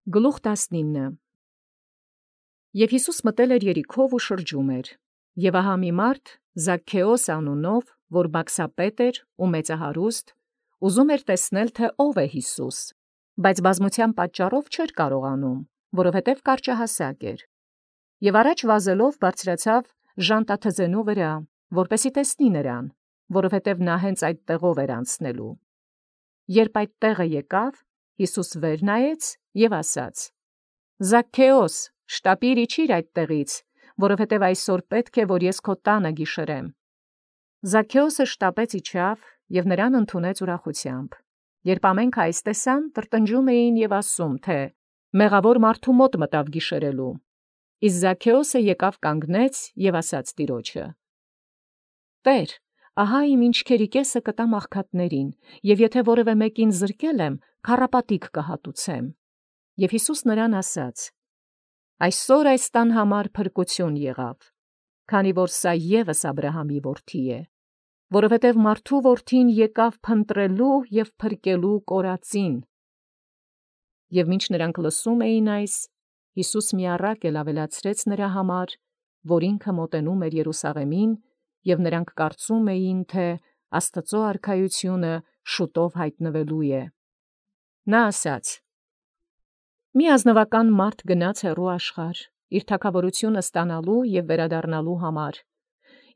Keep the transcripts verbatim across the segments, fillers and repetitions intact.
Գլուխ տասնինը Եւ Յիսուս մտել էր Երիքով և շրջում էր, և ահա մի մարդ Զաքքէոս անունով, որ բաքսապետ էր ու մեծահարուստ, ուզում էր տեսնել, թէ ով է Յիսուս, բայց բազմութեան պատճառով չէր կարողանում, որովհետև կարճահասակ էր. և առաջ վազելով բարձրացավ ժանտաթզենու վրա, որպեսզի տեսնի նրան, որովհետև նա հենց այդ տեղով էր անցնելու։ Երբ այդ տեղը եկավ, Յիսուս վեր նայեց և ասաց. «Զաքքէոս, շտապիր իջիր այդ տեղից, որովհետև այսօր պետք է, որ ես քո տանը գիշերեմ»։ Զաքքէոսը շտապեց իջավ և նրան ընդունեց ուրախությամբ։ Երբ ամենքը այս տեսան, տրտնջում էին և ասում, թէ «Մեղավոր մարդու մոտ մտավ գիշերելու»։ Իսկ Զաքքէոսը եկավ կանգնեց և ասաց տիրոջը. «Տէր, ահա իմ ինչքերի կեսը կտամ աղքատներին, և եթե որևէ մեկին զրկել եմ, քառապատիկ կհատուցեմ»։ Եւ Յիսուս նրան ասաց. «Այսօր այս տան համար փրկութիւն եղավ, քանի որ սա ևս Աբրահամի որդի է, որովհետև մարդու որդին եկավ փնտրելու և փրկելու կորածին»։ Եւ մինչ նրանք լսում էին այս, Յիսուս մի առակ էլ ավելացրեց նրա համար, որ ինքը մոտենում էր Երուսաղեմին, և նրանք կարծում էին, թէ Աստուծոյ արքայությունը շուտով յայտնվելու է։ Նա ասաց. «Մի ազնուական մարդ գնաց հեռու աշխարհ, իր թագաւորութիւնը ստանալու և վերադառնալու համար,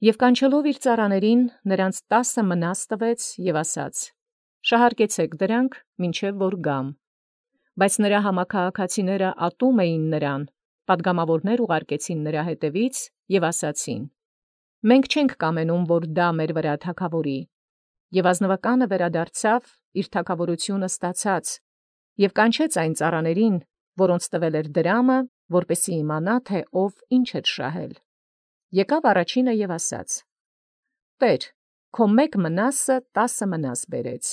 և կանչելով իր ծառաներին, նրանց տասը մնաս տվեց և ասաց. «Շահարկեցեք դրանք, մինչև որ գամ»։ Բայց նրա համաքաղաքացիները ատում էին նրան, պատգամավորներ ուղարկեցին նրա ետևից և ասացին. «Մենք չենք կամենում, որ դա մեր վրա թագաւորի»։ Եւ ազնուականը վերադարձավ իր թագաւորութիւնը ստացած և կանչեց այն ծառաներին, որոնց տվել էր դրամը, որպեսզի իմանա, թէ ով ինչ էր շահել։ Եկավ առաջինը և ասաց. «Տէր, քո մեկ մնասը տասը մնաս բերեց»։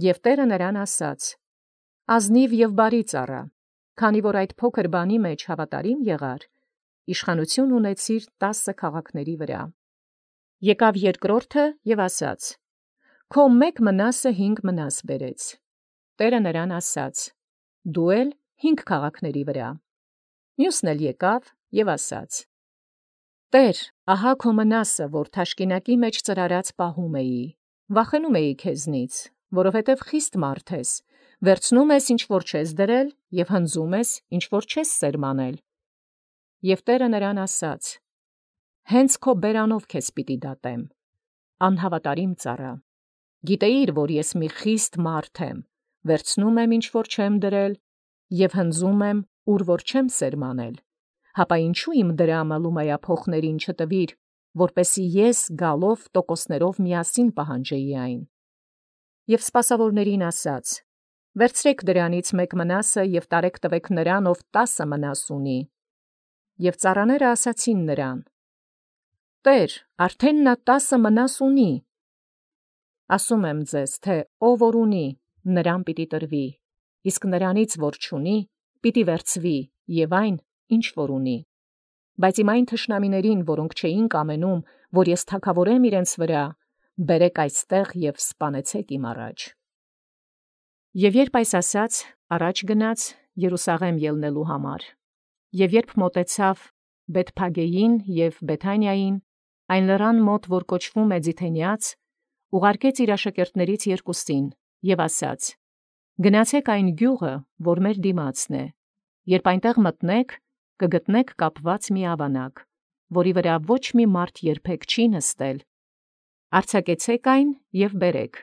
Եւ տէրը նրան ասաց. «Ազնիւ և բարի ծառա, քանի որ այդ փոքր բանի մեջ հաւատարիմ եղար, իշխանութիւն ունեցիր տասը քաղաքացիների վրա»։ Եկավ երկրորդը և ասաց. «Քո մեկ մնասը հինգ մնաս բերեց»։ Տէրը նրան ասաց. «Դու էլ հինգ քաղաքացիների վրա»։ Մյուսն էլ եկավ և ասաց. «Տէր, ահա քո մնասը, որ թաշկինակի մեջ ծրարած պահում էի, վախենում էի քեզնից, որովհետև խիստ մարդ ես, վերցնում ես, ինչ որ չես դրել, և հնձում ես, ինչ որ չես սերմանել»։ Եւ տէրը նրան ասաց. «Հենց քո բերանով քեզ պիտի դատեմ, անհաւատարիմ ծառա. գիտեիր, որ ես մի խիստ մարդ եմ, վերցնում եմ, ինչ որ չեմ դրել, և հնձում եմ, ուր որ չեմ սերմանել, հապա յինչու իմ դրամը լումայափոխներին չտվիր, որպեսզի ես գալով տոկոսներով միասին պահանջեի այն»։ Եւ սպասաւորացն ասաց. «Վերցրէք դրանից մեկ մնասը և տարեք տվեք նրան, ով տասը մնաս ունի»։ Եւ ծառաները ասացին նրան. «Տէր, արդեն նա տասը մնաս ունի»։ Ասում եմ ձեզ, թէ ով որ ունի, նրան պիտի տրվի, իսկ նրանից որ չունի, պիտի վերցվի և այն, ինչ որ ունի։ Բայց իմ այն թշնամիներին, որոնք չէին կամենում, որ ես թագաւորեմ իրենց վրա, բերէք այստեղ և սպանեցէք իմ առաջ։ Եւ երբ այս ասաց, առաջ գնաց Երուսաղէմ ելնելու համար։ Եւ երբ մոտեցավ Բեթփագեին և Բեթանիային, այն լերան մոտ, որ կոչվում է Ձիթենեաց, ուղարկեց իր աշակերտացն երկուսին և ասաց. «Գնացէք այն գիւղը, որ մեր դիմացն է. երբ այնտեղ մտնէք, կգտնէք կապված մի աւանակ, որի վրա ոչ մի մարդ երբեք չի նստել. արձակեցէք այն և բերէք։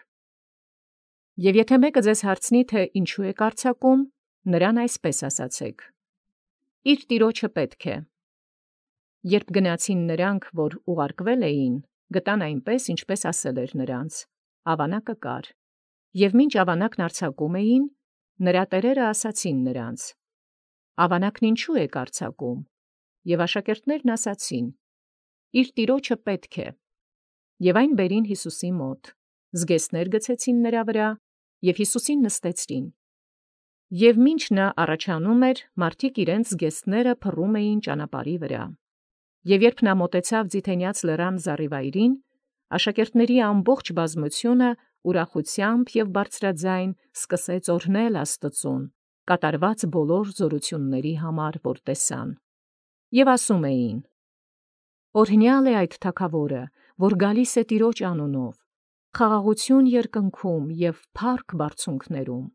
Եւ եթէ մեկը ձեզ հարցնի, թէ ինչու եք արձակում, նրան այսպէս ասացէք. իր տիրոջը պետք է»։ Երբ գնացին նրանք, որ ուղարկվել էին, գտան այնպես, ինչպէս ասել էր նրանց. աւանակը կար։ Եւ մինչ աւանակն արձակում էին, նրա տերերը ասացին նրանց. «Աւանակն ինչու եք արձակում»։ Եւ աշակերտներն ասացին. «Իր տիրոջը պետք է»։ Եւ այն բերին Յիսուսի մոտ, զգեստներ գցեցին նրա վրա և Յիսուսին նստեցրին։ Եւ մինչ նա առաջանում էր, մարդիկ իրենց զգեստները փռում էին ճանապարհի վրա։ Եւ երբ նա մոտեցավ Ձիթենեաց լերան զառիվայրին, աշակերտների ամբողջ բազմութիւնը ուրախութեամբ և բարձրագոյն սկսեց օրհնել Աստուծոյ, կատարված բոլոր զորությունների համար, որ տեսան։ Եւ ասում էին. Օրհնյալ է այդ թագավորը, որ գալիս է Տիրոջ անունով, խաղաղություն երկնքում եւ փառք բարձունքներում։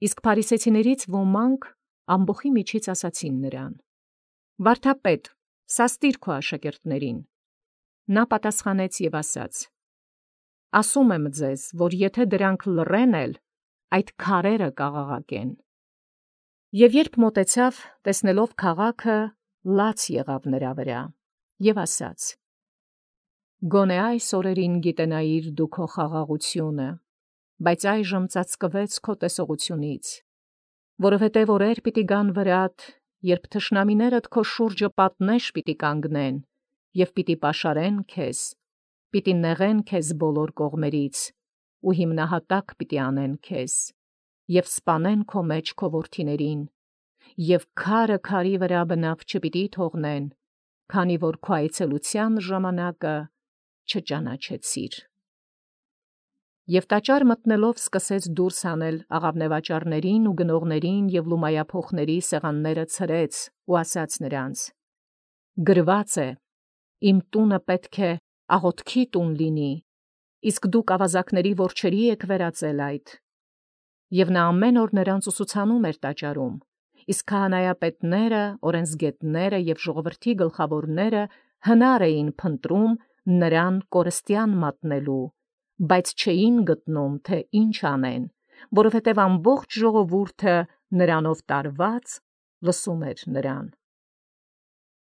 Իսկ փարիսեցիներից ոմանք ամբոխի միջից ասացին նրան. Վարդապետ, սաստիր քո աշակերտներին։ Նա պատասխանեց եւ ասաց. Ասում եմ ձեզ, որ եթե դրանք լռեն էլ, այդ քարերը կաղաղակեն։ Եվ երբ մոտեցավ, տեսնելով քաղաքը, լաց եղավ նրա վրա, եւ ասաց. Գոնե այս օրերին գիտենայիր դու քո խաղաղությունը, բայց այժմ ծածկվեց քո տեսողությունից, որովհետև օրեր պիտի գան վրադ, երբ թշնամիներդ քո շուրջը պատնեշ պիտի կանգնեն, եւ պիտի պաշարեն քեզ, պիտի նեղեն քեզ բոլոր կողմերից, ու հիմնահատակ պիտի անեն քեզ, եւ սպանեն քո մեջ քո որդիներին, եւ քարը քարի վրա բնավ չպիտի թողնեն, քանի որ քո այցելության ժամանակը չճանաչեցիր։ Եվ տաճար մտնելով սկսեց դուրս հանել աղավնեվաճառներին ու գնողներին եւ լումայափոխների սեղանները ցրեց ու ասաց նրանց. գրված է, իմ տունը պետք է աղոթքի տուն լինի, իսկ դուք ավազակների որջերի եք վերածել այդ։ Եվ նա ամեն օր նրանց ուսուցանում էր տաճարում, իսկ քահանայապետները, օրենսգետները եւ ժողովրդի գլխավորները հնար էին փնտրում նրան կորստյան մատնելու, բայց չէին գտնում, թե ինչ անեն, որովհետև ամբողջ ժողովուրդը նրանով տարված լսում էր նրան։